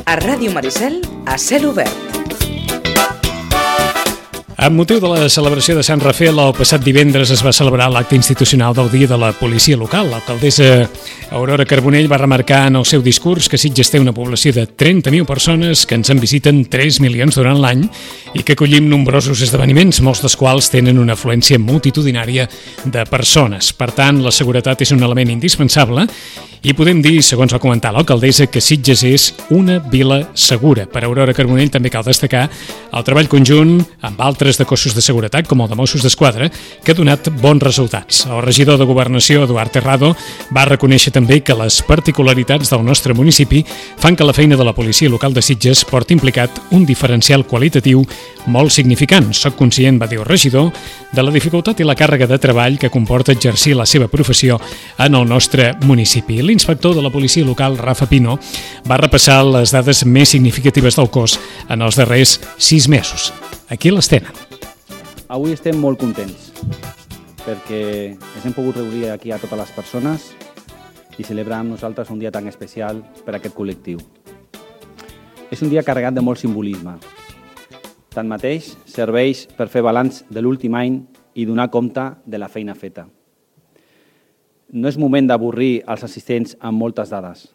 A Ràdio Maricel, a cel obert. Amb motiu de la celebració de Sant Rafael, el passat divendres es va celebrar l'acte institucional del Dia de la Policia Local. L'alcaldessa Aurora Carbonell va remarcar en el seu discurs que Sitges té una població de 30.000 persones que ens en visiten 3 milions durant l'any i que acollim nombrosos esdeveniments, molts dels quals tenen una afluència multitudinària de persones. Per tant, la seguretat és un element indispensable i podem dir, segons va comentar l'alcaldessa, que Sitges és una vila segura. Per Aurora Carbonell també cal destacar el treball conjunt amb altres de cossos de seguretat, com el de Mossos d'Esquadra, que ha donat bons resultats. El regidor de Governació, Eduard Terrado, va reconèixer també que les particularitats del nostre municipi fan que la feina de la policia local de Sitges porti implicat un diferencial qualitatiu molt significant. Soc conscient, va dir el regidor, de la dificultat i la càrrega de treball que comporta exercir la seva professió en el nostre municipi. L'inspector de la policia local, Rafa Pino, va repassar les dades més significatives del cos en els darrers 6 mesos. Aquí les tenen. Avui estem molt contents perquè ens hem pogut reunir aquí a totes les persones i celebrar amb nosaltres un dia tan especial per a aquest col·lectiu. És un dia carregat de molt simbolisme. Tanmateix, serveix per fer balanç de l'últim any i donar compte de la feina feta. No és moment d'avorrir els assistents amb moltes dades,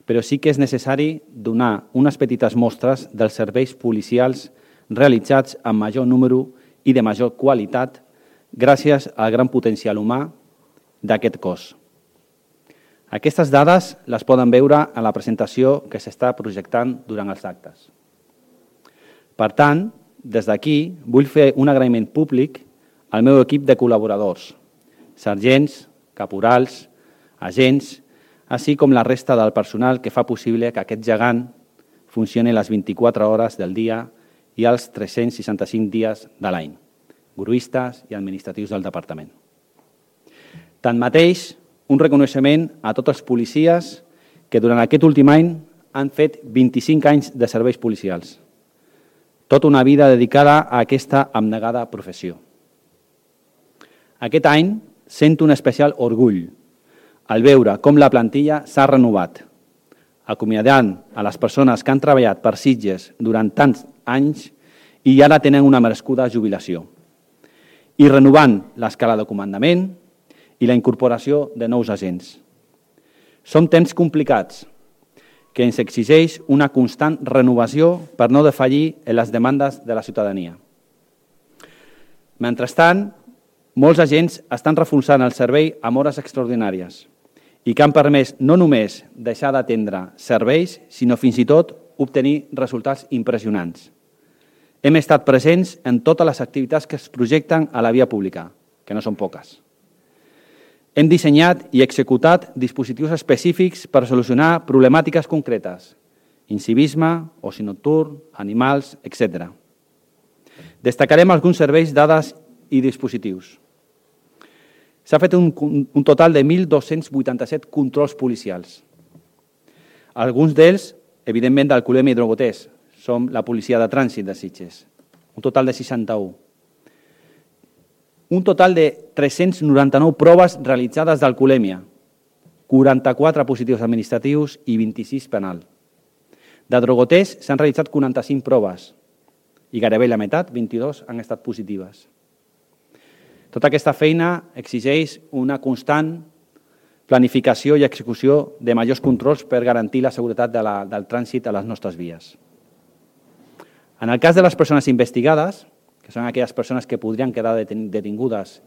però sí que és necessari donar unes petites mostres dels serveis policials realitzats amb major número i de major qualitat gràcies al gran potencial humà d'aquest cos. Aquestes dades les poden veure en la presentació que s'està projectant durant els actes. Per tant, des d'aquí vull fer un agraïment públic al meu equip de col·laboradors, sergents, caporals, agents, així com la resta del personal que fa possible que aquest gegant funcioni les 24 hores del dia i els 365 dies de l'any, gruistes i administratius del departament. Tanmateix, un reconeixement a tots els policies que durant aquest últim any han fet 25 anys de serveis policials. Tota una vida dedicada a aquesta abnegada professió. Aquest any sento un especial orgull al veure com la plantilla s'ha renovat, acomiadant a les persones que han treballat per Sitges durant tants anys i ara tenen una merescuda jubilació, i renovant l'escala de comandament i la incorporació de nous agents. Són temps complicats que ens exigeix una constant renovació per no defallir en les demandes de la ciutadania. Mentrestant, molts agents estan reforçant el servei amb hores extraordinàries i que han permès no només deixar d'atendre serveis, sinó fins i tot obtenir resultats impressionants. Hem estat presents en totes les activitats que es projecten a la via pública, que no són poques. Hem dissenyat i executat dispositius específics per solucionar problemàtiques concretes, incivisme, oci nocturn, animals, etc. Destacarem alguns serveis, dades i dispositius. S'ha fet un total de 1.287 controls policials. Alguns d'ells, evidentment, d'alcoholèmia i drogoters. Som la policia de trànsit de Sitges. Un total de 61. Un total de 399 proves realitzades d'alcoholèmia, 44 positius administratius i 26 penal. De drogoters s'han realitzat 45 proves i gairebé la meitat, 22, han estat positives. Tota aquesta feina exigeix una constant planificació i execució de majors controls per garantir la seguretat del trànsit a les nostres vies. En el cas de les persones investigades, que són aquelles persones que podrien quedar detingudes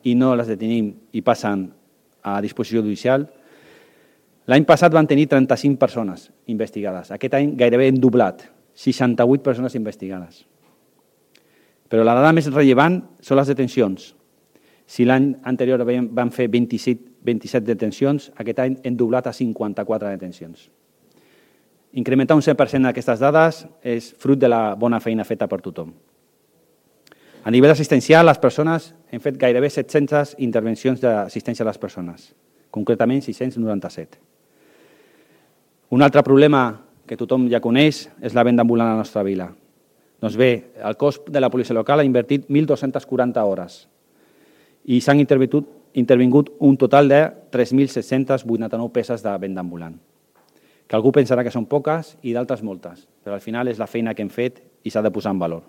i no les detenim i passen a disposició judicial, l'any passat van tenir 35 persones investigades. Aquest any gairebé hem doblat, 68 persones investigades. Però la dada més rellevant són les detencions. Si l'any anterior vam fer 27 detencions, aquest any hem doblat a 54 detencions. Incrementar un 100% d'aquestes dades és fruit de la bona feina feta per tothom. A nivell assistencial, les persones hem fet gairebé 700 intervencions d'assistència a les persones, concretament 697. Un altre problema que tothom ja coneix és la venda ambulant a la nostra vila. Doncs bé, el cos de la policia local ha invertit 1.240 hores i s'han intervingut un total de 3.789 peces de venda ambulant. que algú pensarà que són poques i d'altres moltes, però al final és la feina que hem fet i s'ha de posar en valor.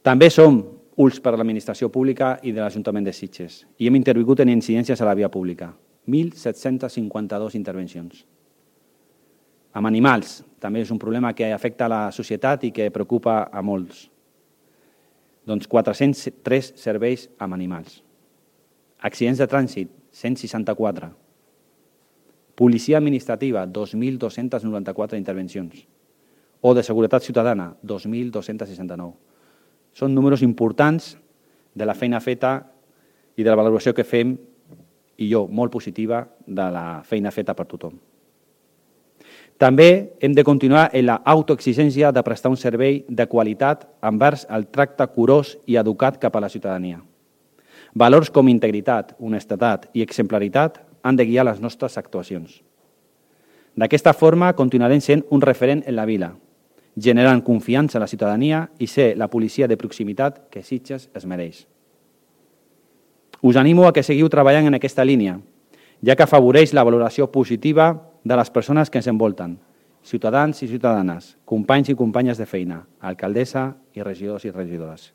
També som ulls per a l'administració pública i de l'Ajuntament de Sitges i hem intervingut en incidències a la via pública. 1.752 intervencions. Amb animals, també és un problema que afecta a la societat i que preocupa a molts. Doncs 403 serveis amb animals. Accidents de trànsit, 164. Policia administrativa, 2.294 intervencions. O de seguretat ciutadana, 2.269. Són números importants de la feina feta i de la valoració que fem, i jo, molt positiva, de la feina feta per tothom. També hem de continuar en l'autoexigència de prestar un servei de qualitat envers el tracte curós i educat cap a la ciutadania. Valors com integritat, honestedat i exemplaritat han de guiar les nostres actuacions. D'aquesta forma, continuarem sent un referent en la vila, generant confiança a la ciutadania i ser la policia de proximitat que Sitges es mereix. Us animo a que seguiu treballant en aquesta línia, ja que afavoreix la valoració positiva de les persones que ens envolten, ciutadans i ciutadanes, companys i companyes de feina, alcaldessa i regidors i regidores.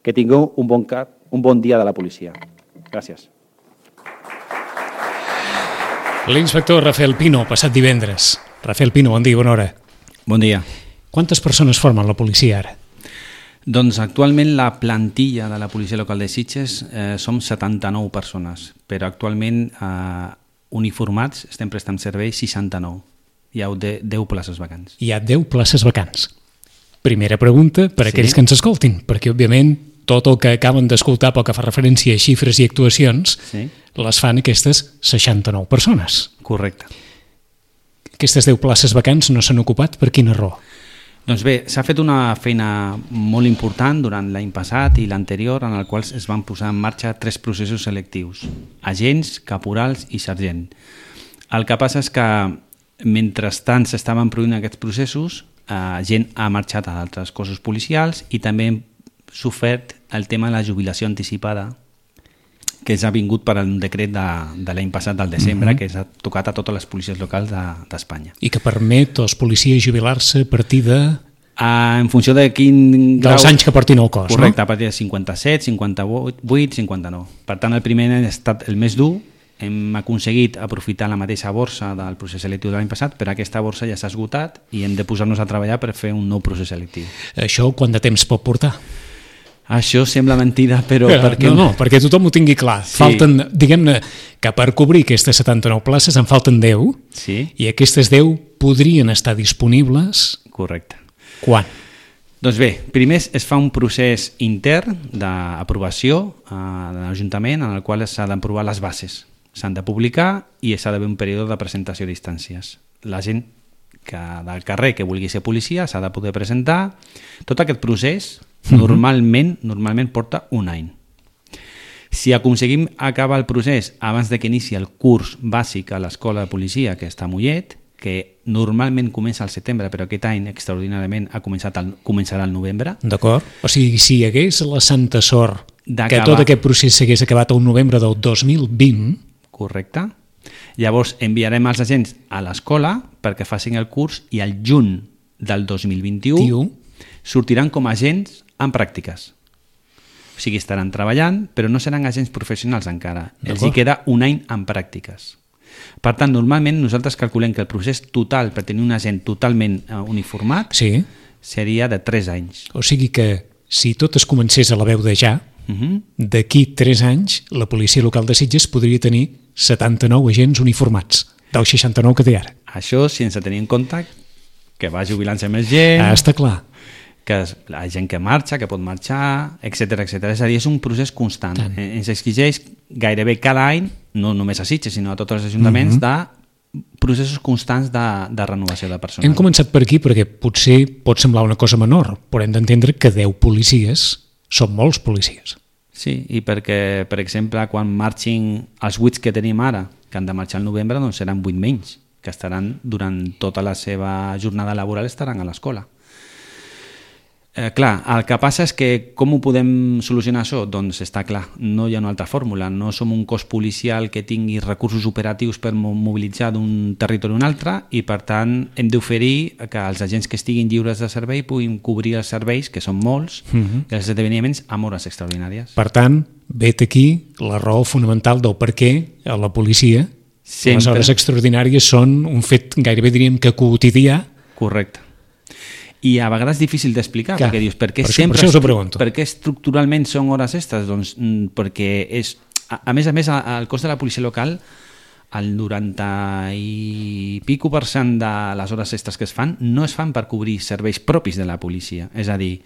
Que tingueu un bon dia de la policia. Gràcies. L'inspector Rafael Pino, passat divendres. Rafael Pino, bon dia, bona hora. Bon dia. Quantes persones formen la policia ara? Doncs actualment la plantilla de la policia local de Sitges som 79 persones, però actualment uniformats estem prestant servei 69. Hi ha 10 places vacants. Hi ha 10 places vacants. Primera pregunta per a aquells que ens escoltin, perquè òbviament tot el que acaben d'escoltar pel que fa referència a xifres i actuacions les fan aquestes 69 persones. Correcte. Aquestes 10 places vacants no s'han ocupat per quina raó? Doncs bé, s'ha fet una feina molt important durant l'any passat i l'anterior en el qual es van posar en marxa 3 processos selectius, agents, caporals i sergent. El que passa és que mentrestant s'estaven produint aquests processos, gent ha marxat a d'altres cossos policials i també hem sofert el tema de la jubilació anticipada que s'ha vingut per un decret de l'any passat, del desembre, que s'ha tocat a totes les policies locals d'Espanya. I que permet als policies jubilar-se a partir de... En funció de quin grau... Dels anys que portin el cos, correcte, no? A partir de 57, 58, 59. Per tant, el primer any ha estat el més dur. Hem aconseguit aprofitar la mateixa borsa del procés selectiu de l'any passat, però aquesta borsa ja s'ha esgotat i hem de posar-nos a treballar per fer un nou procés selectiu. Això quant de temps pot portar? Això sembla mentida, però... No, perquè tothom ho tingui clar. Sí. Falten, diguem-ne, que per cobrir aquestes 79 places en falten 10, sí. I aquestes 10 podrien estar disponibles... Correcte. Quan? Doncs bé, primer es fa un procés intern d'aprovació de l'Ajuntament en el qual s'ha d'aprovar les bases. S'han de publicar i s'ha d'haver un període de presentació d'instàncies. La gent del carrer que vulgui ser policia s'ha de poder presentar. Tot aquest procés normalment porta un any. Si aconseguim acabar el procés abans de que inici el curs bàsic a l'escola de policia que està a Mollet, que normalment comença al setembre, però aquest any extraordinàriament començarà al novembre. D'acord. O sigui, si hi hagués la santa sort que tot aquest procés s'hagués acabat al novembre del 2020... Correcte. Llavors enviarem els agents a l'escola perquè facin el curs i al juny del 2021 sortiran com a agents en pràctiques. O sigui, estaran treballant, però no seran agents professionals encara. Els hi queda un any en pràctiques. Per tant, normalment nosaltres calculem que el procés total per tenir un agent totalment uniformat seria de 3 anys. O sigui que si tot es comencés a la veu de ja, d'aquí 3 anys la policia local de Sitges podria tenir 79 agents uniformats, dels 69 que té ara. Això sense tenir en compte que va jubilant-se més gent... Està clar. Que la gent que marxa, que pot marxar, etc. És a dir, és un procés constant. Ens exigeix gairebé cada any, no només a Sitges, sinó a tots els ajuntaments, de processos constants de renovació de personal. Hem començat per aquí perquè potser pot semblar una cosa menor, però hem d'entendre que 10 policies són molts policies. Sí, i perquè, per exemple, quan marxin els 8 que tenim ara, que han de marxar al novembre, doncs seran 8 menys, que estaran durant tota la seva jornada laboral estaran a l'escola. Clar, el que passa és que com ho podem solucionar això? Doncs està clar, no hi ha una altra fórmula. No som un cos policial que tingui recursos operatius per mobilitzar d'un territori a un altre i, per tant, hem d'oferir que els agents que estiguin lliures de servei puguin cobrir els serveis, que són molts, i els esdeveniments amb hores extraordinàries. Per tant, vet aquí la raó fonamental del per què a la policia les hores extraordinàries són un fet gairebé diríem que quotidià. Correcte. I a vegades és difícil d'explicar, perquè dius, per què estructuralment són hores extres? Doncs perquè és... A més, el cos de la policia local, el 90 i pico % de les hores extres que es fan no es fan per cobrir serveis propis de la policia, és a dir,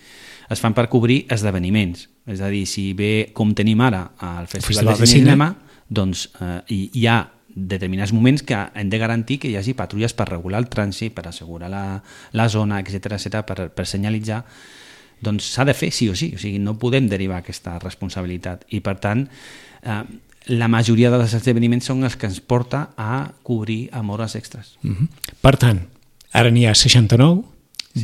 es fan per cobrir esdeveniments. És a dir, si ve, com tenim ara, al Festival de Cinema, doncs hi ha determinats moments que hem de garantir que hi hagi patrulles per regular el trànsit, per assegurar la zona, etc per senyalitzar, doncs s'ha de fer sí o sí, o sigui, no podem derivar aquesta responsabilitat i per tant la majoria dels esdeveniments són els que ens porta a cobrir amb hores extres. Per tant, ara n'hi ha 69,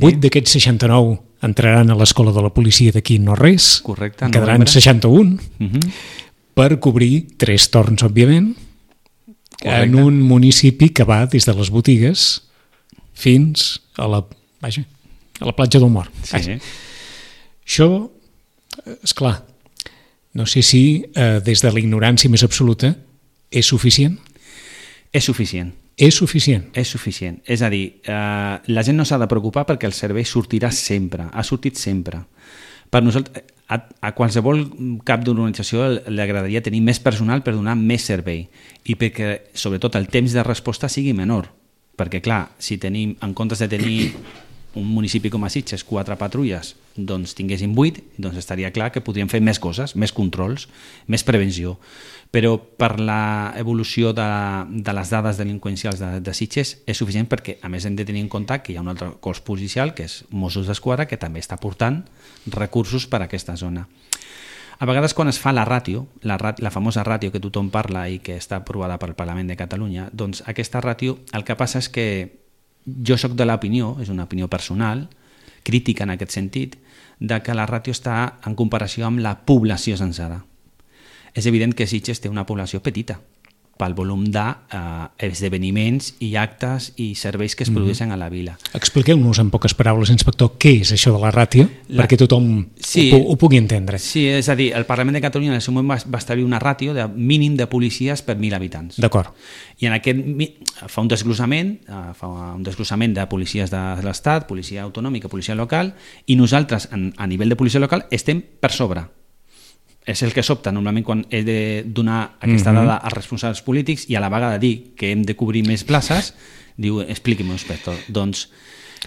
8 d'aquests 69 entraran a l'escola de la policia d'aquí no res, correcte, quedaran 61 per cobrir 3 torns, òbviament, en un municipi que va des de les botigues fins a la platja del Mort. Sí. Això, esclar, no sé si des de la ignorància més absoluta és suficient? És suficient. És suficient? És suficient. És a dir, la gent no s'ha de preocupar perquè el servei sortirà sempre, ha sortit sempre. Per nosaltres, a qualsevol cap d'organització li agradaria tenir més personal per donar més servei i perquè, sobretot, el temps de resposta sigui menor. Perquè, clar, si tenim, en comptes de tenir un municipi com a Sitges, 4 patrulles, doncs tinguéssim 8, doncs estaria clar que podríem fer més coses, més controls, més prevenció. Però per l'evolució de les dades delinqüencials de Sitges és suficient perquè, a més, hem de tenir en compte que hi ha un altre cos policial, que és Mossos d'Esquadra, que també està portant recursos per a aquesta zona. A vegades, quan es fa la ràtio, la famosa ràtio que tothom parla i que està aprovada pel Parlament de Catalunya, doncs aquesta ràtio, el que passa és que jo soc de l'opinió, és una opinió personal, crítica en aquest sentit, de que la ràtio està en comparació amb la població sencera. És evident que Sitges té una població petita pel volum d'esdeveniments i actes i serveis que es produeixen a la vila. Expliqueu-nos en poques paraules, inspector, què és això de la ràtio, perquè tothom ho pugui entendre. Sí, és a dir, el Parlament de Catalunya en el seu moment va establir una ràtio de mínim de policies per 1.000 habitants. D'acord. I en aquest fa un desglossament de policies de l'Estat, policia autonòmica, policia local, i nosaltres, a nivell de policia local, estem per sobre. És el que sobta normalment quan he de donar aquesta dada als responsables polítics i a la vegada de dir que hem de cobrir més places, diu, expliqui-m'ho, inspector. Doncs,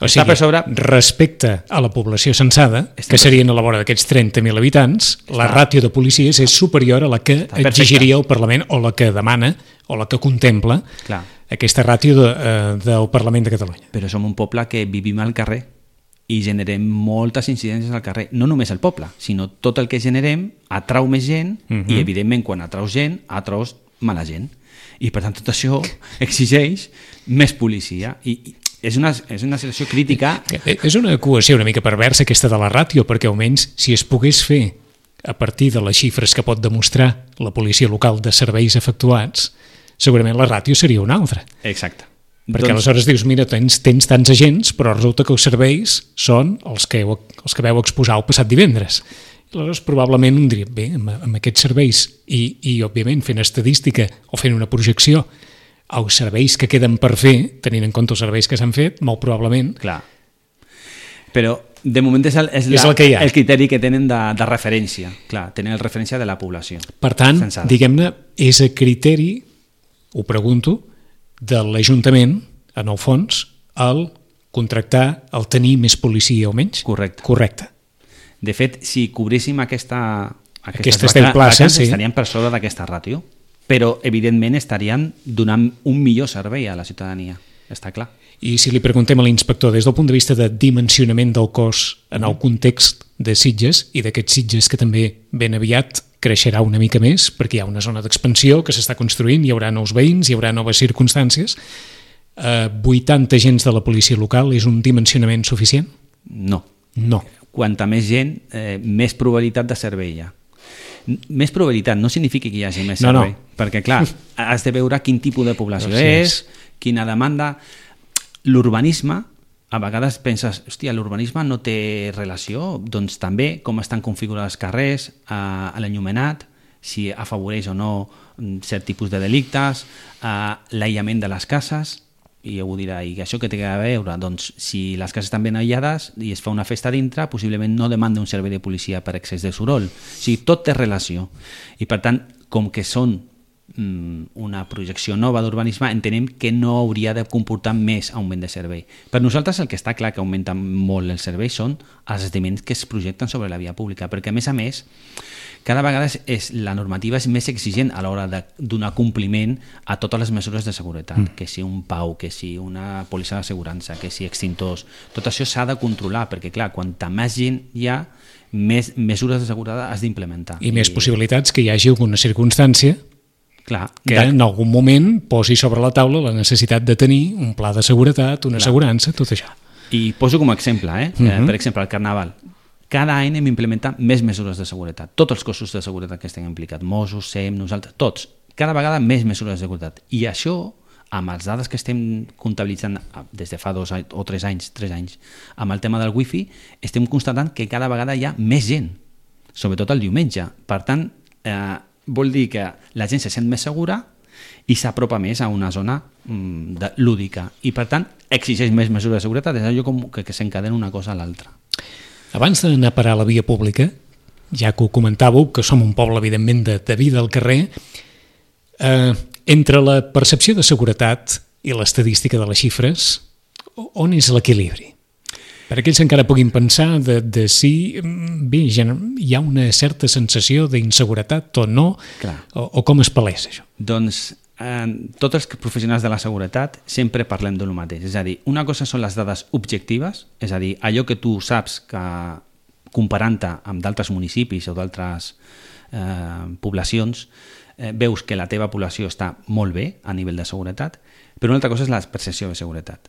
està per sobre... respecte a la població censada, que serien a la vora d'aquests 30.000 habitants, la ràtio de policies és superior a la que exigiria el Parlament o la que demana o la que contempla aquesta ràtio del Parlament de Catalunya. Però som un poble que vivim al carrer i generem moltes incidències al carrer. No només el poble, sinó tot el que generem atrau més gent i, evidentment, quan atraus gent, atraus mala gent. I, per tant, tot això exigeix més policia. I és una situació crítica. És una equació una mica perversa aquesta de la ràtio, perquè almenys si es pogués fer a partir de les xifres que pot demostrar la policia local de serveis efectuats, segurament la ràtio seria una altra. Exacte. Perquè aleshores dius, mira, tens tants agents, però resulta que els serveis són els que vau exposar el passat divendres. I aleshores probablement un diria, bé, amb aquests serveis i òbviament fent estadística o fent una projecció als serveis que queden per fer, tenint en compte els serveis que s'han fet, molt probablement... Clar. Però de moment és el criteri que tenen de referència. Clar, tenen el referència de la població. Per tant, diguem-ne, és a criteri, ho pregunto, de l'Ajuntament, en el fons, el contractar, el tenir més policia o menys? Correcte. De fet, si cobréssim aquestes 10 places, estaríem per sobre d'aquesta ràtio, però evidentment estaríem donant un millor servei a la ciutadania, està clar. I si li preguntem a l'inspector des del punt de vista de dimensionament del cos en el context de Sitges i d'aquests Sitges que també ben aviat creixerà una mica més perquè hi ha una zona d'expansió que s'està construint, hi haurà nous veïns, hi haurà noves circumstàncies, 80 agents de la policia local és un dimensionament suficient? No. quanta més gent, més probabilitat de servei hi ha. Més probabilitat no significa que hi hagi més servei, perquè clar, has de veure quin tipus de població és, quina demanda. L'urbanisme, a vegades penses, hòstia, l'urbanisme no té relació, doncs també com estan configurats els carrers, l'enllumenat, si afavoreix o no cert tipus de delictes, l'aïllament de les cases, i ho dirà, i això què té a veure? Doncs si les cases estan ben aïllades i es fa una festa dintre, possiblement no demanda un servei de policia per excés de soroll. O sigui, tot té relació. I per tant, com que són una projecció nova d'urbanisme, entenem que no hauria de comportar més augment de servei. Per nosaltres el que està clar que augmenta molt el servei són els esdeveniments que es projecten sobre la via pública, perquè a més, cada vegada la normativa és més exigent a l'hora de donar compliment a totes les mesures de seguretat, que si un PAU, que si una pòlissa d'assegurança, que si extintors, tot això s'ha de controlar, perquè clar, quanta més gent hi ha, més mesures de seguretat has d'implementar. I més possibilitats que hi hagi alguna circumstància que en algun moment posi sobre la taula la necessitat de tenir un pla de seguretat, una assegurança, tot això. I poso com a exemple, per exemple, el Carnaval. Cada any hem implementat més mesures de seguretat. Tots els cossos de seguretat que estem implicats, Mossos, SEM, nosaltres, tots. Cada vegada més mesures de seguretat. I això, amb les dades que estem comptabilitzant des de fa 2 o 3 anys, amb el tema del wifi, estem constatant que cada vegada hi ha més gent, sobretot el diumenge. Per tant, vol dir que la gent se sent més segura i s'apropa més a una zona lúdica. I per tant, exigeix més mesures de seguretat. És allò com que s'encadena una cosa a l'altra. Abans d'anar a parar a la via pública, ja que ho comentàveu, que som un poble, evidentment, de vida al carrer, entre la percepció de seguretat i l'estadística de les xifres, on és l'equilibri? Per aquells que encara puguin pensar de si hi ha una certa sensació d'inseguretat o no, o com es palesa això? Doncs tots els professionals de la seguretat sempre parlem del mateix. És a dir, una cosa són les dades objectives, és a dir, allò que tu saps que comparant-te amb d'altres municipis o d'altres poblacions veus que la teva població està molt bé a nivell de seguretat, però una altra cosa és la percepció de seguretat.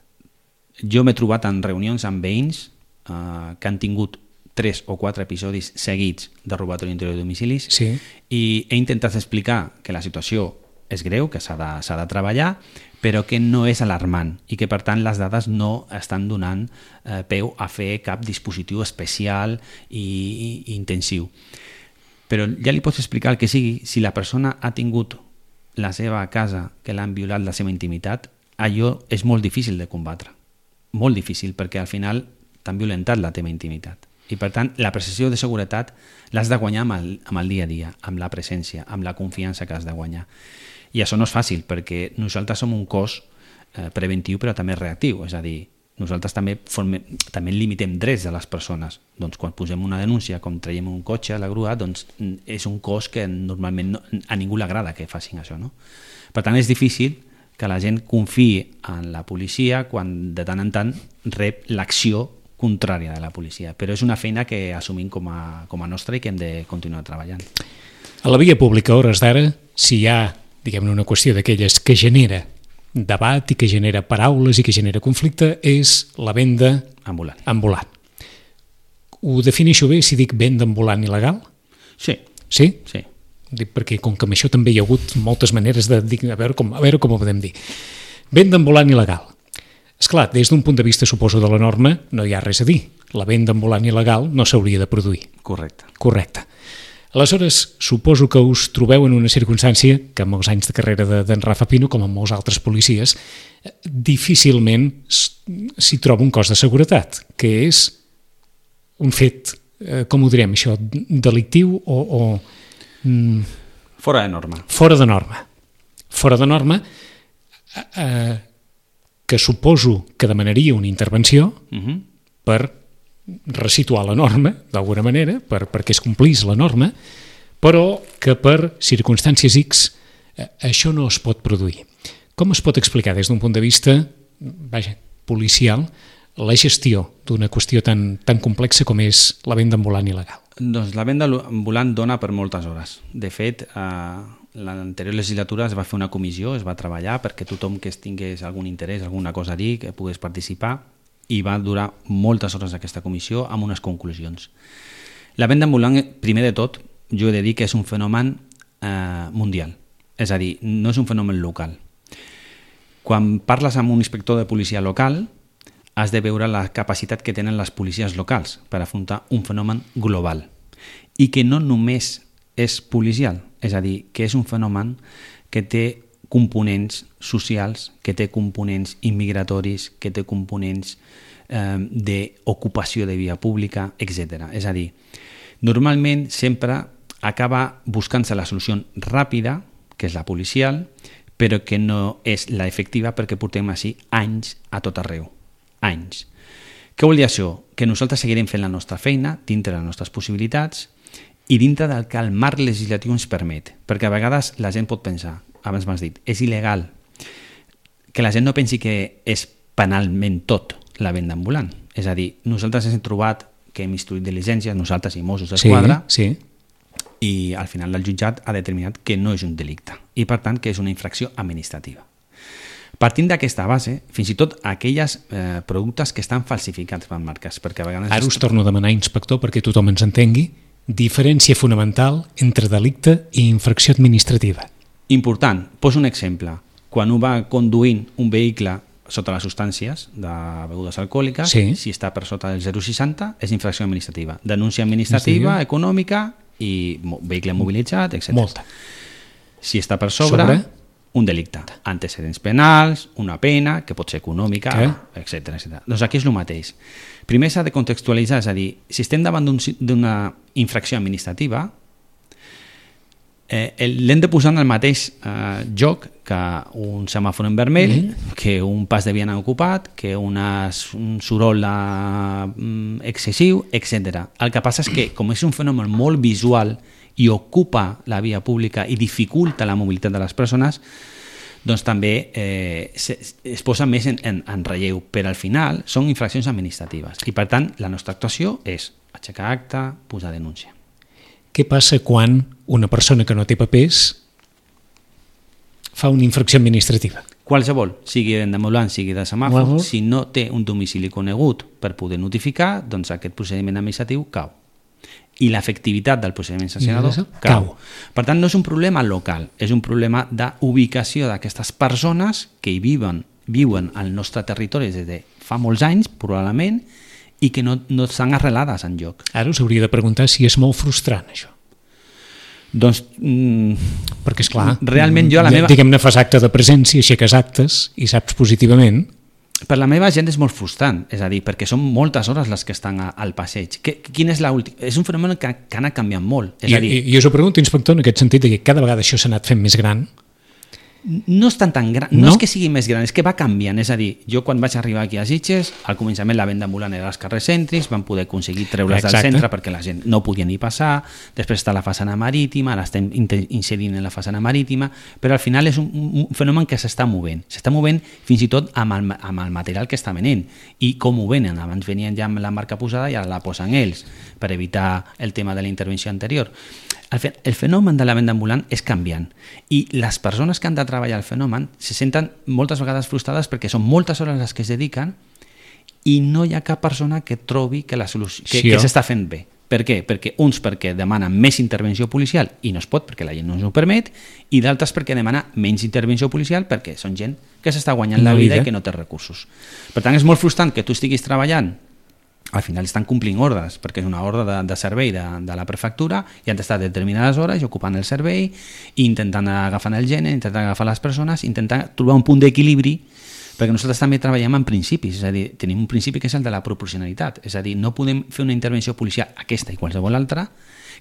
Jo m'he trobat en reunions amb veïns que han tingut 3 o 4 episodis seguits de robatori interior de domicilis i he intentat explicar que la situació és greu, que s'ha de treballar, però que no és alarmant i que, per tant, les dades no estan donant peu a fer cap dispositiu especial i intensiu. Però ja li pots explicar el que sigui, si la persona ha tingut la seva casa, que l'han violat la seva intimitat, allò és molt difícil de combatre. Molt difícil, perquè al final t'han violentat la teva intimitat. I per tant, la percepció de seguretat l'has de guanyar amb el dia a dia, amb la presència, amb la confiança que has de guanyar. I això no és fàcil, perquè nosaltres som un cos preventiu però també reactiu, és a dir, nosaltres també limitem drets de les persones. Doncs quan posem una denúncia, com traiem un cotxe a la grua, doncs és un cos que normalment a ningú li agrada que facin això, no? Per tant, és difícil que la gent confiï en la policia quan de tant en tant rep l'acció contrària de la policia, però és una feina que assumim com a nostra i que hem de continuar treballant. A la via pública, a hores d'ara, si hi ha, diguem-ne, una qüestió d'aquelles que genera debat i que genera paraules i que genera conflicte, és la venda ambulant. Ho defineixo bé si dic venda ambulant il·legal? Sí. Sí? Sí. Dic perquè com que amb això també hi ha hagut moltes maneres de dir, a veure com ho podem dir. Venda ambulant il·legal. Esclar, des d'un punt de vista, suposo, de la norma, no hi ha res a dir. La venda ambulant il·legal no s'hauria de produir. Correcte. Aleshores, suposo que us trobeu en una circumstància que amb els anys de carrera d'en Rafa Pino, com amb molts altres policies, difícilment s'hi troba un cos de seguretat, que és un fet, com ho direm això, delictiu o fora de norma. Fora de norma, que suposo que demanaria una intervenció per resituar la norma, d'alguna manera, perquè es complís la norma, però que per circumstàncies X això no es pot produir. Com es pot explicar des d'un punt de vista policial la gestió d'una qüestió tan complexa com és la venda ambulant il·legal? Doncs la venda ambulant dona per moltes hores. De fet, l'anterior legislatura es va fer una comissió, es va treballar perquè tothom que tingués algun interès, alguna cosa a dir, que pogués participar. i va durar moltes hores aquesta comissió amb unes conclusions. La venda ambulant, primer de tot, jo he de dir que és un fenomen mundial, és a dir, no és un fenomen local. Quan parles amb un inspector de policia local, has de veure la capacitat que tenen les policies locals per afrontar un fenomen global i que no només és policial, és a dir, que és un fenomen que té components socials, que té components immigratoris, que té components d'ocupació de via pública, etc. És a dir, normalment sempre acaba buscant-se la solució ràpida, que és la policial, però que no és la efectiva perquè portem així anys a tot arreu. Anys. Què vol dir això? Que nosaltres seguirem fent la nostra feina dintre de les nostres possibilitats i dintre del que el marc legislatiu ens permet, perquè a vegades la gent pot pensar, abans m'has dit, és il·legal, que la gent no pensi que és penalment tot la venda ambulant. És a dir, nosaltres hem trobat que hem instruït diligències, nosaltres i Mossos d'Esquadra, sí. I al final el jutjat ha determinat que no és un delicte i per tant que és una infracció administrativa. Partint d'aquesta base, fins i tot aquelles productes que estan falsificats per marques, perquè a vegades... Ara us torno a demanar, inspector, perquè tothom ens entengui, diferència fonamental entre delicte i infracció administrativa. Important, poso un exemple. Quan un va conduint un vehicle sota les substàncies de begudes alcohòliques, sí. Si està per sota del 0,60 és infracció administrativa. Denúncia administrativa, econòmica i vehicle mobilitzat, etc. Molta. Si està per sobre? Un delicte. Antecedents penals, una pena, que pot ser econòmica, etc. Doncs aquí és el mateix. Primer s'ha de contextualitzar, és a dir, si estem davant d'una infracció administrativa, l'hem de posar en el mateix joc que un semàfor en vermell, que un pas de vianant ocupat, que un soroll excessiu, etc. El que passa és que, com és un fenomen molt visual i ocupa la via pública i dificulta la mobilitat de les persones, doncs també es posa més en relleu, però al final són infraccions administratives i per tant la nostra actuació és aixecar acta, posar denúncia. Què passa quan una persona que no té papers fa una infracció administrativa? Qualsevol, sigui d'ambulant, sigui de semàfor, si no té un domicili conegut per poder notificar, doncs aquest procediment administratiu cau. I l'efectivitat del procediment sancionador cau. Per tant, no és un problema local, és un problema d'ubicació d'aquestes persones que hi viuen al nostre territori des de fa molts anys, probablement, i que no estan arrelades enlloc. Ara us hauria de preguntar si és molt frustrant, això. Doncs... perquè, esclar, realment jo a la meva... diguem-ne, fas acte de presència, aixeques actes i saps positivament... Per la meva gent és molt frustrant, és a dir, perquè són moltes hores les que estan al passeig. Quin és l'últim? És un fenomen que ha anat canviant molt. És a dir, I us ho pregunto, inspector, en aquest sentit, que cada vegada això s'ha anat fent més gran. No és tan gran, no és que sigui més gran, és que va canviant. És a dir, jo quan vaig arribar aquí a Sitges, al començament la venda ambulant era als carrers cèntrics, van poder aconseguir treure's del centre perquè la gent no podia ni passar, després està la façana marítima, ara estem inserint en la façana marítima, però al final és un fenomen que s'està movent fins i tot amb el material que està venent i com ho venen. Abans venien ja amb la marca posada i ara la posen ells per evitar el tema de la intervenció anterior. El fenomen de la venda ambulant és canviant i les persones que han de treballar el fenomen se senten moltes vegades frustrades perquè són moltes hores les que es dediquen i no hi ha cap persona que trobi que s'està fent bé. Per què? Perquè demanen més intervenció policial i no es pot perquè la gent no ens ho permet, i d'altres perquè demana menys intervenció policial perquè són gent que s'està guanyant la vida i que no té recursos. Per tant, és molt frustrant que tu estiguis treballant, al final estan complint ordres, perquè és una ordre de servei de la prefectura i han d'estar determinades hores ocupant el servei i intentant agafar el gènere, intentant agafar les persones, intentant trobar un punt d'equilibri, perquè nosaltres també treballem en principis, és a dir, tenim un principi que és el de la proporcionalitat, és a dir, no podem fer una intervenció policial, aquesta i qualsevol altra,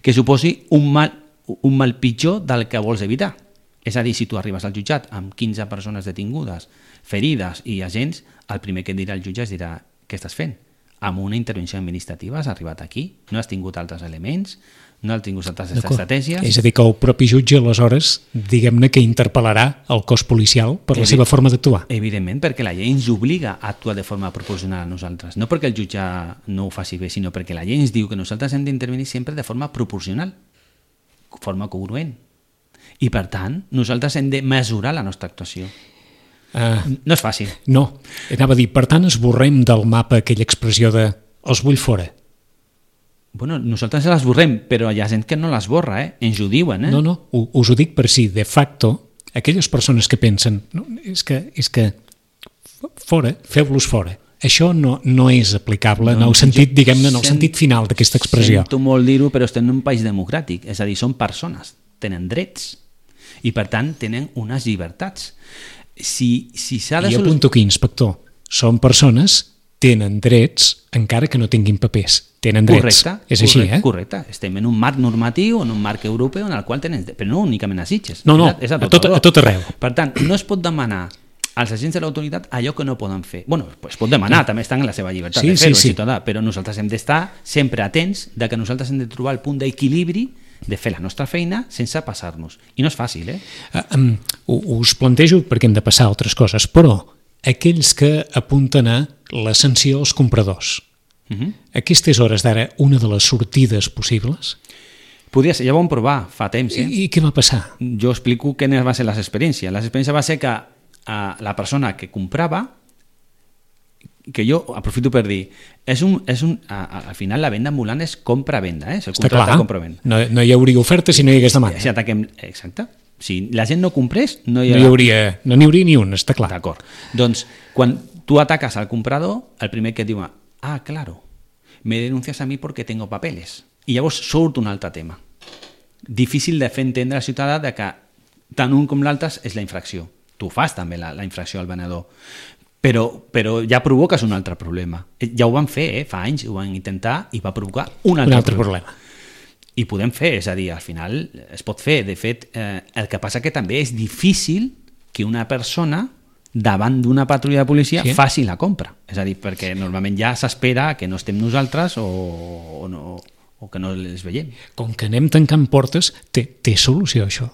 que suposi un mal pitjor del que vols evitar. És a dir, si tu arribes al jutjat amb 15 persones detingudes, ferides i agents, el primer que et dirà el jutge dirà què estàs fent? Amb una intervenció administrativa has arribat aquí, no has tingut altres elements, no has tingut altres estratègies... És a dir, que el propi jutge, aleshores, diguem-ne que interpel·larà el cos policial per la seva forma d'actuar. Evidentment, perquè la llei ens obliga a actuar de forma proporcional a nosaltres. No perquè el jutge no ho faci bé, sinó perquè la llei ens diu que nosaltres hem d'intervenir sempre de forma proporcional, de forma congruent. I, per tant, nosaltres hem de mesurar la nostra actuació. No és fàcil. No, anava a dir, per tant esborrem del mapa aquella expressió de els vull fora. Bueno, nosaltres l'esborrem, però hi ha gent que no l'esborra, ens ho diuen. No, us ho dic per si, de facto, aquelles persones que pensen no, és que fora, feu-los fora. Això no és aplicable en el sentit, diguem-ne, en el sentit final d'aquesta expressió. Sento molt dir-ho, però estem en un país democràtic, és a dir, són persones, tenen drets i per tant tenen unes llibertats. Si s'ha de I apunto aquí, inspector, són persones, tenen drets encara que no tinguin papers. Tenen drets. És així, Correcte. Estem en un marc normatiu, en un marc europeu en el qual tenen, però no únicament a Sitges. No, és a tot arreu. Per tant, no es pot demanar als agents de l'autoritat allò que no poden fer. Bueno, es pot demanar, també estan en la seva llibertat de fer-ho, ciutadà, però nosaltres hem d'estar sempre atents de que nosaltres hem de trobar el punt d'equilibri de fer la nostra feina sense passar-nos. I no és fàcil, Us plantejo perquè hem de passar a altres coses, però aquells que apunten a la sanció als compradors, aquesta és hores d'ara una de les sortides possibles? Podria ser, ja ho vam provar fa temps. I què va passar? Jo explico quines van ser les experiències. L'experiència va ser que la persona que comprava, que jo aprofito per dir, al final la venda ambulant és compra-venda, és el contracte de compra-venda. No hi hauria oferta si no hi hagués demanda. Exacte. Si la gent no comprés, no hi hauria ni un, està clar. D'acord. Doncs, quan tu ataques al comprador, el primer que et diu, claro, me denuncias a mi porque tengo papeles. I llavors surt un altre tema. Difícil de fer entendre al ciutadà de que tant un com l'altre és la infracció. Tu fas també la infracció al venedor. Però ja provoques un altre problema. Ja ho van fer, fa anys, ho van intentar i va provocar un altre problema. I podem fer, és a dir, al final es pot fer. De fet, el que passa que també és difícil que una persona davant d'una patrulla de policia faci la compra. És a dir, perquè normalment ja s'espera que no estem nosaltres o que no les veiem. Com que anem tancant portes, té solució això?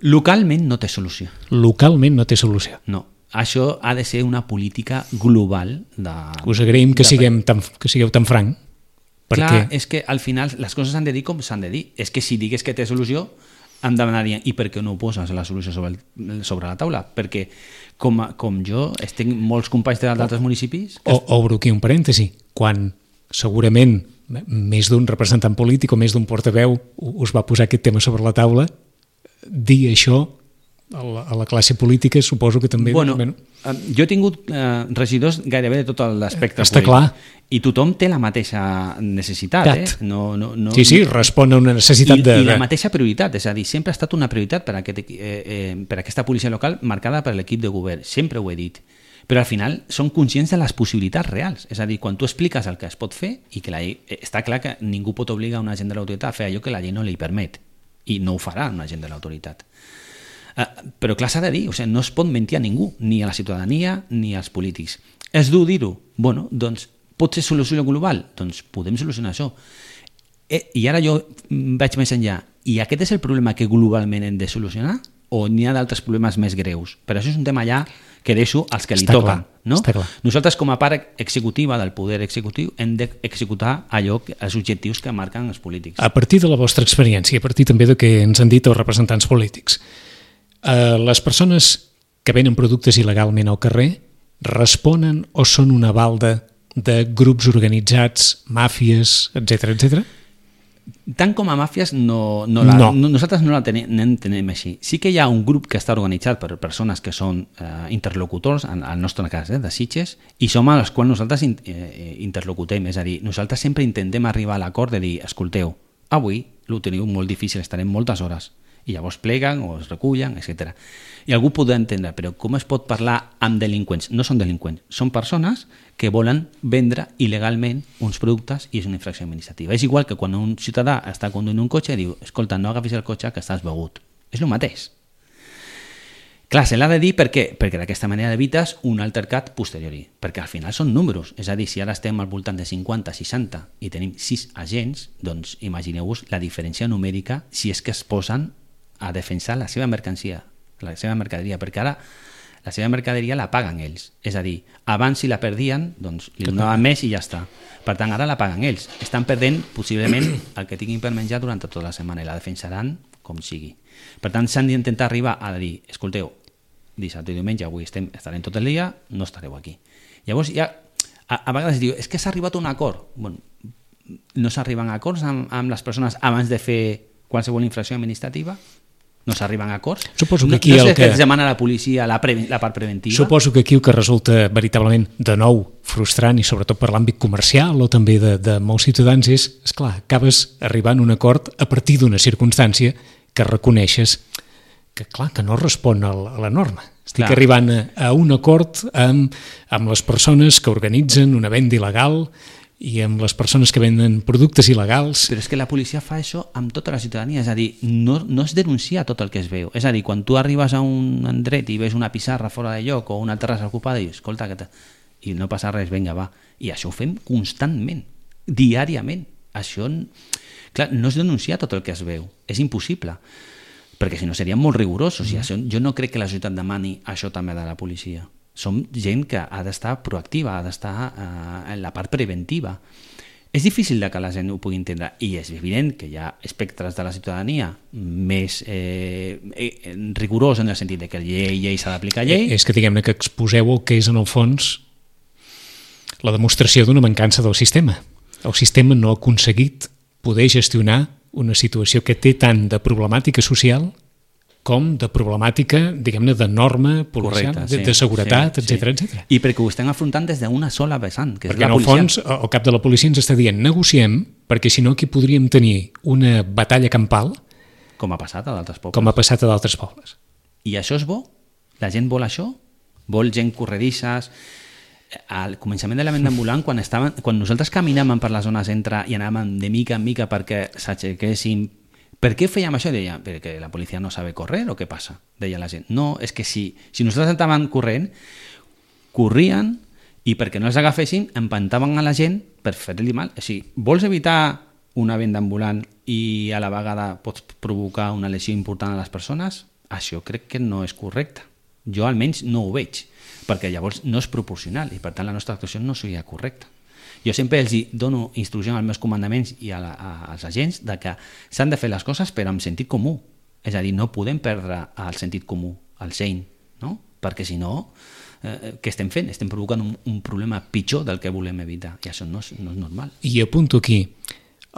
Localment no té solució. Localment no té solució. No. Això ha de ser una política global. Us agraïm que sigueu tan franc. Clar, és que al final les coses s'han de dir com s'han de dir. És que si digués que té solució, em demanarien i per què no ho poses la solució sobre la taula? Perquè com jo tinc molts companys d'altres municipis... Obro aquí un parèntesi. Quan segurament més d'un representant polític o més d'un portaveu us va posar aquest tema sobre la taula, dir això a la classe política suposo que també... Jo he tingut regidors gairebé de tot l'espectre polític. Està clar. I tothom té la mateixa necessitat. Sí, respon a una necessitat I la mateixa prioritat, és a dir, sempre ha estat una prioritat per aquesta policia local marcada per l'equip de govern, sempre ho he dit. Però al final són conscients de les possibilitats reals. És a dir, quan tu expliques el que es pot fer i que la llei... Està clar que ningú pot obligar un agent de l'autoritat a fer allò que la llei no li permet. I no ho farà un agent de l'autoritat. Però clar, s'ha de dir, no es pot mentir a ningú, ni a la ciutadania ni als polítics. És dur dir-ho? Doncs pot ser solució global? Doncs podem solucionar això. I ara jo vaig més enllà. I aquest és el problema que globalment hem de solucionar? O n'hi ha d'altres problemes més greus? Però això és un tema ja que deixo als que li toquen. Nosaltres, com a part executiva del poder executiu, hem d'executar els objectius que marquen els polítics. A partir de la vostra experiència, a partir també del que ens han dit els representants polítics, les persones que venen productes il·legalment al carrer responen o són una balda de grups organitzats, màfies, etc. Tant com a màfies nosaltres no la tenim així. Sí que hi ha un grup que està organitzat per persones que són interlocutors, en el nostre cas de Sitges, i som a les quals nosaltres interlocutem. És a dir, nosaltres sempre intentem arribar a l'acord de dir, escolteu, avui ho teniu molt difícil, estarem moltes hores. I llavors pleguen o es recullen, etc. I algú podrà entendre, però com es pot parlar amb delinqüents? No són delinqüents, són persones que volen vendre il·legalment uns productes i és una infracció administrativa. És igual que quan un ciutadà està conduint un cotxe i diu, escolta, no agafis el cotxe que estàs begut. És el mateix. Clar, se l'ha de dir perquè d'aquesta manera evites un altercat posteriori, perquè al final són números, és a dir, si ara estem al voltant de 50-60 i tenim 6 agents, doncs imagineu-vos la diferència numèrica si és que es posen a defensar la seva mercancia, la seva mercaderia, perquè ara la seva mercaderia la paguen ells. És a dir, abans si la perdien, doncs li donaven més i ja està. Per tant, ara la paguen ells. Estan perdent possiblement el que tinguin per menjar durant tota la setmana i la defensaran com sigui. Per tant, s'han d'intentar arribar a dir, escolteu, dissabte i diumenge, avui estarem tot el dia, no estareu aquí. Llavors ja, a vegades diu, és que s'ha arribat a un acord. Bueno, no s'arriben a acords amb les persones abans de fer qualsevol infracció administrativa? No s'arriben a acords? Suposo que aquí no sé què es demana a la policia la part preventiva? Suposo que aquí el que resulta veritablement de nou frustrant, i sobretot per l'àmbit comercial o també de molts ciutadans, és, esclar, acabes arribant a un acord a partir d'una circumstància que reconeixes que, clar, que no respon a la norma. Estic arribant a un acord amb les persones que organitzen una venda il·legal i amb les persones que venden productes il·legals. Però és que la policia fa això amb tota la ciutadania, és a dir, no es denuncia tot el que es veu. És a dir, quan tu arribes a un endret i veus una pissarra fora de lloc o una terrassa ocupada i dius, escolta, i no passa res, vinga, va. I això ho fem constantment, diàriament. Això, clar, no es denuncia tot el que es veu. És impossible, perquè si no serien molt rigorosos. I això, jo no crec que la societat demani això també de la policia. Som gent que ha d'estar proactiva, ha d'estar en la part preventiva. És difícil que la gent ho pugui entendre, i és evident que hi ha espectres de la ciutadania més rigorós en el sentit de que llei s'ha d'aplicar llei. És que diguem-ne que exposeu el que és en el fons la demostració d'una mancança del sistema. El sistema no ha aconseguit poder gestionar una situació que té tant de problemàtica social com de problemàtica, diguem-ne, de norma policial, de seguretat, etc. I perquè ho estem afrontant des d'una sola vessant, que és perquè la policia. Perquè en el fons el cap de la policia ens està dient negociem, perquè si no aquí podríem tenir una batalla campal com ha passat a d'altres pobles. Com ha passat a d'altres pobles. I això és bo? La gent vol això? Vol gent corredisses? Al començament de la venda ambulant, quan nosaltres caminàvem per la zona centre i anàvem de mica en mica perquè s'aixequessin. Per què fèiem això? Deia, perquè la policia no sabe correr o què passa? Deia la gent. No, és que si nosaltres estàvem corrent, corrien i perquè no els agafessin empantaven a la gent per fer-li mal. O sigui, vols evitar una venda ambulant i a la vegada pots provocar una lesió important a les persones? Això crec que no és correcte. Jo almenys no ho veig, perquè llavors no és proporcional i per tant la nostra actuació no seria correcta. Jo sempre els dono instruccions als meus comandaments i als agents de que s'han de fer les coses però amb sentit comú. És a dir, no podem perdre el sentit comú, el seny, no? Perquè si no, què estem fent? Estem provocant un problema pitjor del que volem evitar i això no és normal. I apunto aquí,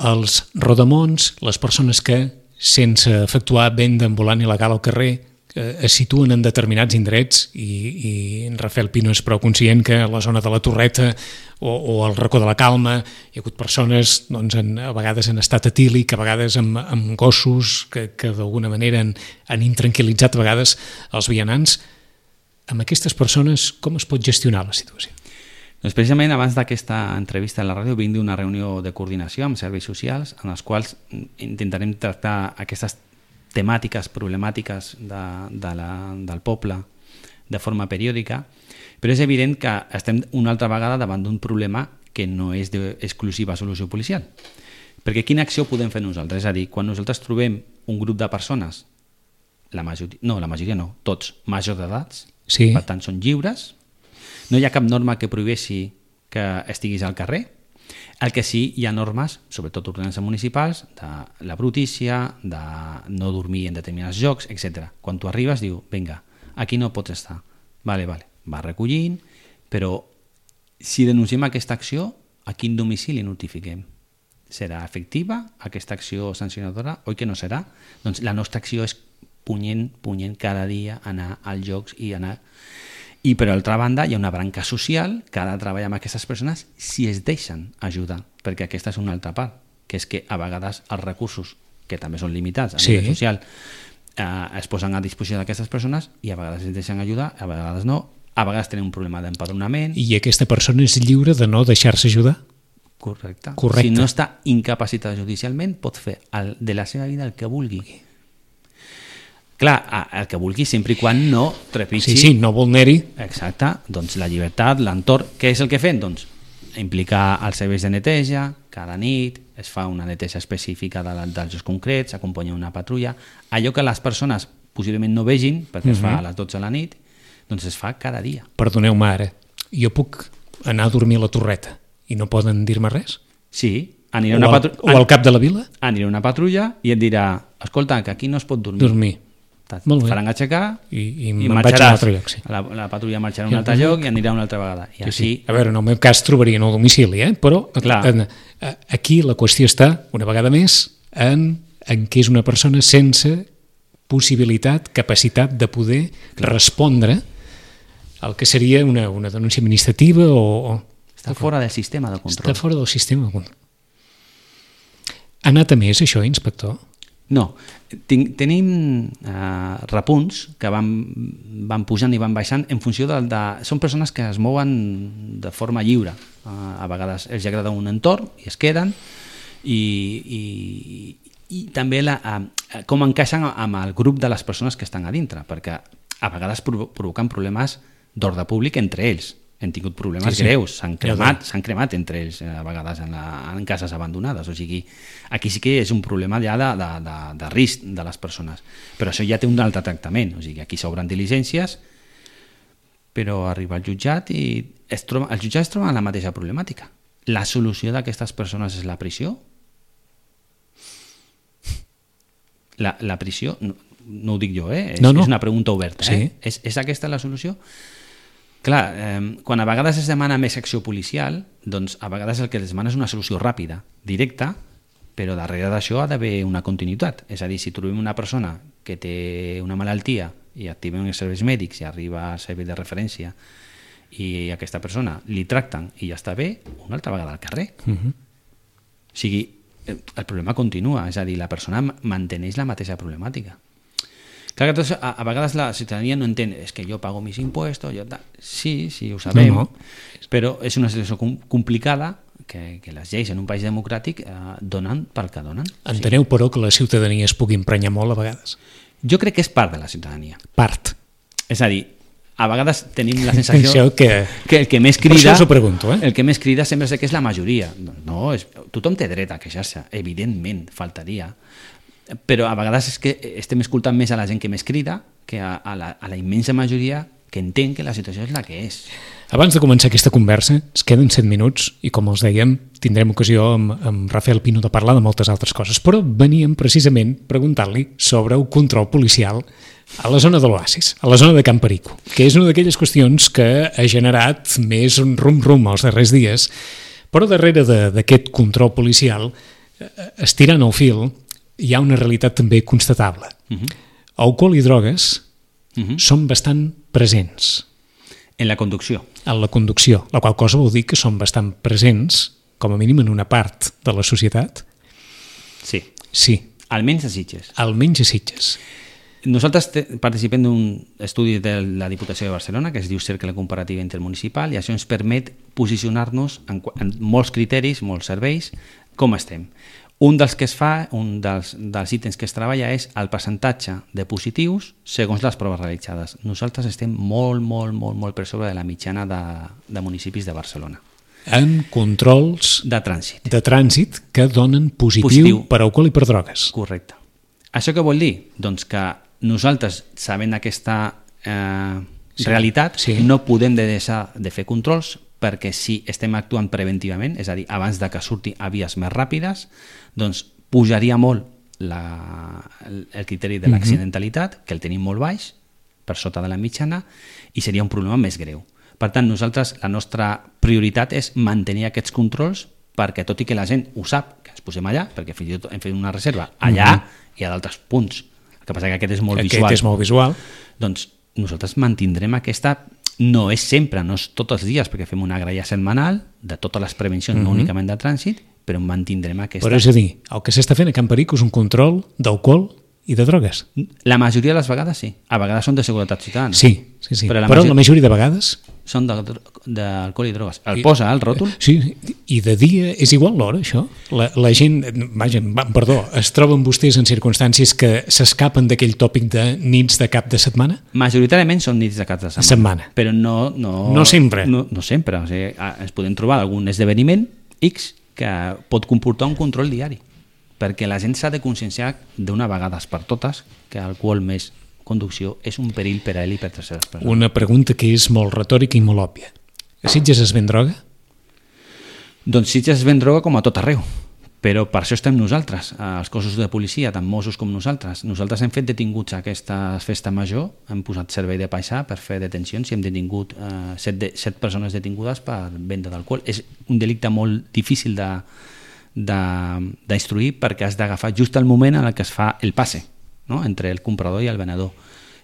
els rodamons, les persones que sense efectuar venda ambulant il·legal al carrer es situen en determinats indrets i en Rafael Pino és prou conscient que a la zona de la Torreta o al racó de la Calma hi ha hagut persones a vegades en estat etílic, a vegades amb gossos que d'alguna manera han intranquil·litzat a vegades els vianants. Amb aquestes persones com es pot gestionar la situació? Doncs precisament abans d'aquesta entrevista a la ràdio vinc d'una reunió de coordinació amb serveis socials en els quals intentarem tractar aquestes temàtiques, problemàtiques del poble de forma periòdica, però és evident que estem una altra vegada davant d'un problema que no és d'exclusiva solució policial. Perquè quina acció podem fer nosaltres? És a dir, quan nosaltres trobem un grup de persones, la majoria no, tots majors d'edats, sí. Per tant són lliures, no hi ha cap norma que prohibeixi que estiguis al carrer. El que sí, hi ha normes, sobretot ordenances municipals, de la brutícia, de no dormir en determinats llocs, etc. Quan tu arribes, diu, vinga, aquí no pots estar. Vale, va recollint, però si denunciem aquesta acció, a quin domicili notifiquem? Serà efectiva aquesta acció sancionadora? Oi que no serà? Doncs la nostra acció és punyent cada dia anar als llocs i anar... I per altra banda hi ha una branca social que ha de treballar amb aquestes persones si es deixen ajudar, perquè aquesta és una altra part, que és que a vegades els recursos, que també són limitats a nivell social, es posen a disposició d'aquestes persones i a vegades es deixen ajudar, a vegades no, a vegades tenen un problema d'empadronament. I aquesta persona és lliure de no deixar-se ajudar? Correcte. Si no està incapacitada judicialment, pot fer de la seva vida el que vulgui. Clar, el que vulgui, sempre i quan no trepitgi... Sí, no vulneri. Exacte, doncs la llibertat, l'entorn... Què és el que fem? Doncs implicar els serveis de neteja, cada nit es fa una neteja específica dels llocs concrets, s'acompanya una patrulla... Allò que les persones possiblement no vegin, perquè es fa a les 12 de la nit, doncs es fa cada dia. Perdoneu-me ara, jo puc anar a dormir a la Torreta i no poden dir-me res? Sí, o al cap de la vila? Anirà una patrulla i et dirà, escolta, que aquí no es pot dormir. Molt bé. Faran aixecar I me'n vaig a un altre lloc, sí. La patrulla marxarà a un altre lloc i anirà una altra vegada. I Sí, així... sí. A veure, en el meu cas trobarien el domicili, però aquí la qüestió està, una vegada més, en què és una persona sense possibilitat, capacitat de poder respondre al que seria una denúncia administrativa o... Està fora del sistema de control. Està fora del sistema de control. Ha anat a més, això, inspector? No, tenim repunts que van pujant i van baixant en funció Són persones que es mouen de forma lliure. A vegades els agrada un entorn i es queden i també com encaixen amb el grup de les persones que estan a dintre, perquè a vegades provoquen problemes d'ordre públic entre ells. Hem tingut problemes greus, s'han cremat entre ells a vegades en cases abandonades, o sigui, aquí sí que és un problema ja de risc de les persones, però això ja té un altre tractament, o sigui, aquí s'obren diligències, però arriba al jutjat i el jutjat es troba en la mateixa problemàtica. La solució d'aquestes persones és la prisió? La prisió, no ho dic jo, és una pregunta oberta. Sí. És aquesta la solució? Clar, quan a vegades es demana més acció policial, doncs a vegades el que es demana és una solució ràpida, directa, però darrere d'això ha d'haver una continuïtat. És a dir, si trobem una persona que té una malaltia i activem els serveis mèdics i arriba al servei de referència i aquesta persona li tracten i ja està bé, una altra vegada al carrer. O sigui, el problema continua, és a dir, la persona manteneix la mateixa problemàtica. Clar que a vegades la ciutadania no entén, és que jo pago mis impuestos, sí, ho sabem, però és una situació complicada que les lleis en un país democràtic donen pel que donen. Enteneu, però, que la ciutadania es pugui emprenyar molt a vegades? Jo crec que és part de la ciutadania. Part. És a dir, a vegades tenim la sensació que el que més crida... Per això us ho pregunto, El que més crida sempre és que és la majoria. No, tothom té dret a queixar-se, evidentment, faltaria. Però a vegades és que estem escoltant més a la gent que més crida que a la immensa majoria que entén que la situació és la que és. Abans de començar aquesta conversa, es queden 7 minuts i, com els dèiem, tindrem ocasió amb Rafael Pino de parlar de moltes altres coses, però veníem precisament preguntant-li sobre el control policial a la zona de l'Oasis, a la zona de Can Perico, que és una d'aquelles qüestions que ha generat més un rum-rum els darrers dies, però darrere d'aquest control policial, estirant el fil, hi ha una realitat també constatable. Alcohol i drogues són bastant presents. En la conducció. En la conducció, la qual cosa vol dir que són bastant presents, com a mínim en una part de la societat. Sí. Sí. Almenys a Sitges. Almenys a Sitges. Nosaltres participem d'un estudi de la Diputació de Barcelona que es diu Cercle Comparativa Intermunicipal i això ens permet posicionar-nos en molts criteris, molts serveis, com estem. Un dels que es fa, un dels ítems que es treballa és el percentatge de positius segons les proves realitzades. Nosaltres estem molt per sobre de la mitjana de municipis de Barcelona. En controls de trànsit que donen positiu per alcohol i per drogues. Correcte. Això què vol dir? Doncs que nosaltres, sabent aquesta realitat, no podem deixar de fer controls perquè si estem actuant preventivament, és a dir, abans de que surti a vies més ràpides, doncs pujaria molt el criteri de l'accidentalitat, que el tenim molt baix, per sota de la mitjana, i seria un problema més greu. Per tant, nosaltres, la nostra prioritat és mantenir aquests controls perquè, tot i que la gent ho sap, que ens posem allà, perquè fins i tot hem fet una reserva allà i a d'altres punts. El que passa que aquest és molt visual. Aquest és molt visual. Doncs nosaltres mantindrem aquesta... No és sempre, no és tots els dies, perquè fem una gralla setmanal de totes les prevencions, no únicament de trànsit, però mantindrem aquesta... Però és a dir, el que s'està fent a Can Perico és un control d'alcohol i de drogues. La majoria de les vegades sí. A vegades són de seguretat ciutadana. Sí. Però la majoria de vegades... Són d'alcohol i drogues. El posa al ròtol? Sí, i de dia és igual l'hora, això? La gent, es troben vostès en circumstàncies que s'escapen d'aquell tòpic de nits de cap de setmana? Majoritàriament són nits de cap de setmana. Però no sempre. No sempre. O sigui, ens podem trobar algun esdeveniment X que pot comportar un control diari, perquè la gent s'ha de conscienciar d'una vegada per totes que alcohol més conducció és un perill per a ell i per terceres persones. Una pregunta que és molt retòrica i molt òbvia. A Sitges es ven droga? Doncs Sitges es ven droga com a tot arreu, Però per això estem nosaltres, els cossos de policia, tant Mossos com nosaltres. Nosaltres hem fet detinguts a aquesta festa major, hem posat servei de paisà per fer detencions i hem detingut 7 persones detingudes per venda d'alcohol. És un delicte molt difícil d'instruir perquè has d'agafar just el moment en què es fa el passe, no? Entre el comprador i el venedor.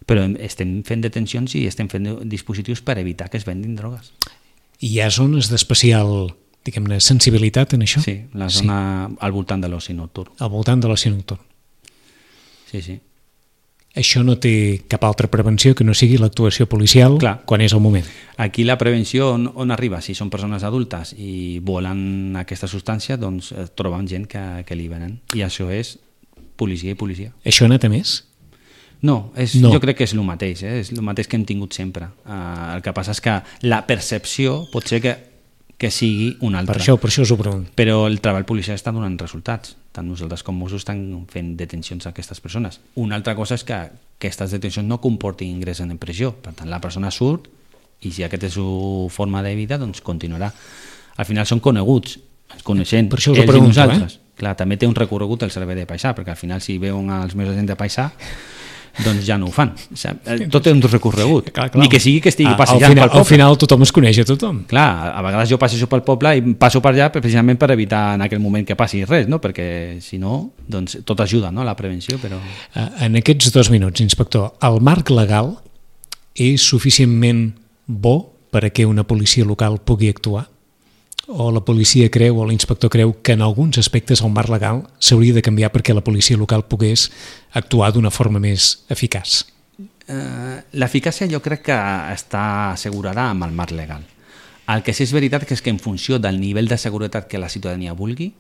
Però estem fent detencions i estem fent dispositius per evitar que es vendin drogues. Hi ha zones d'especial, diguem-ne, sensibilitat en això? Sí, la zona al voltant de l'oci nocturn. Al voltant de l'oci nocturn. Sí, sí. Això no té cap altra prevenció que no sigui l'actuació policial. Clar. Quan és el moment. Aquí la prevenció on arriba? Si són persones adultes i volen aquesta substància, doncs troben gent que li venen. I això és policia i policia. Això ha anat a més? No, jo crec que és el mateix, és el mateix que hem tingut sempre. El que passa és que la percepció pot ser que sigui una altra. Per això us ho pregunto. Però el treball policial està donant resultats. Tant nosaltres com Mossos estan fent detencions a aquestes persones. Una altra cosa és que aquestes detencions no comportin ingrés en presó. Per tant, la persona surt i si aquesta és la forma de vida, doncs continuarà. Al final són coneguts, ens coneixem per això us ho ells pregunto, i nosaltres. Clar, també té un recorregut el servei de paisà, perquè al final si veuen els meus agents de paisà doncs ja no ho fan. Tot té un recorregut. Clar. Ni que sigui que estigui passejant pel poble. Al final tothom es coneix a tothom. Clar, a vegades jo passejo pel poble i passo per allà precisament per evitar en aquell moment que passi res, no? Perquè si no, doncs tot ajuda, no? La prevenció, però... En aquests 2 minuts, inspector, el marc legal és suficientment bo per a que una policia local pugui actuar? O la policia creu, o l'inspector creu que en alguns aspectes el marc legal s'hauria de canviar perquè la policia local pogués actuar d'una forma més eficaç? L'eficàcia jo crec que està assegurada amb el marc legal. El que sí és veritat és que en funció del nivell de seguretat que la ciutadania vulgui,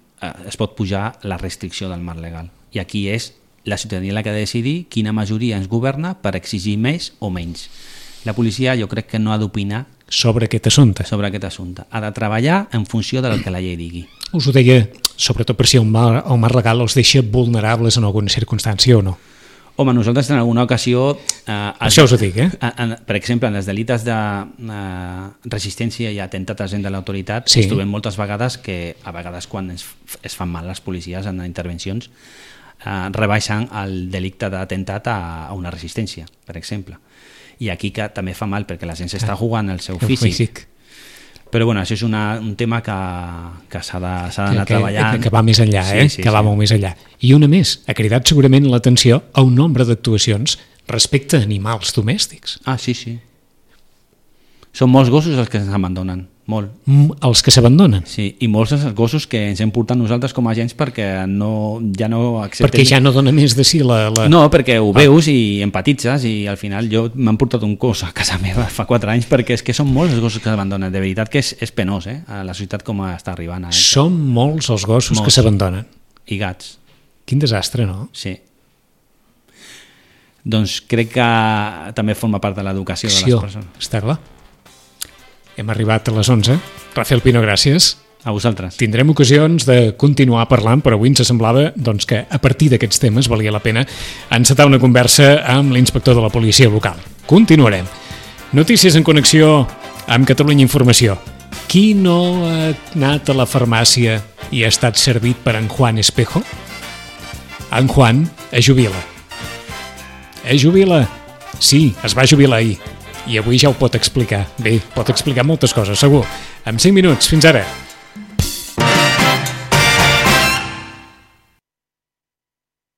es pot pujar la restricció del marc legal. I aquí és la ciutadania la que ha de decidir quina majoria ens governa per exigir més o menys. La policia jo crec que no ha d'opinar sobre aquest assumpte. Ha de treballar en funció del que la llei digui. Us ho deia, sobretot per si el marc legal els deixa vulnerables en alguna circumstància o no. Home, nosaltres en alguna ocasió... Això us ho dic, per exemple, en els delites de resistència i atemptat a gent de l'autoritat, sí. Ens trobem moltes vegades que, a vegades quan es fan mal les policies en intervencions, rebaixen el delicte d'atemptat a una resistència, per exemple. I aquí que també fa mal perquè la gent s'està jugant el seu físic. Però bueno, això és un tema que s'ha d'anar treballant. Que va més enllà, que va molt més enllà. I una més, ha cridat segurament l'atenció a un nombre d'actuacions respecte a animals domèstics. Ah, sí. Són molts gossos els que ens abandonen, molt. Els que s'abandonen? Sí, i molts els gossos que ens hem portat nosaltres com a agents perquè ja no acceptem... Perquè ja no dona més de si la... No, perquè ho veus i empatitzes i al final jo m'han portat un gos a casa meva fa 4 anys perquè és que són molts els gossos que s'abandonen. De veritat que és penós, a la societat com està arribant. Són molts els gossos que s'abandonen. I gats. Quin desastre, no? Sí. Doncs crec que també forma part de l'educació de les persones. Està clar. Hem arribat a les 11. Rafael Pino, gràcies. A vosaltres. Tindrem ocasions de continuar parlant, però avui ens semblava doncs, que a partir d'aquests temes valia la pena encetar una conversa amb l'inspector de la policia local. Continuarem. Notícies en connexió amb Catalunya Informació. Qui no ha anat a la farmàcia i ha estat servit per en Juan Espejo? En Juan es jubila. Es jubila? Sí, es va jubilar ahir. I avui ja ho pot explicar. Bé, pot explicar moltes coses, segur. En 5 minuts, fins ara.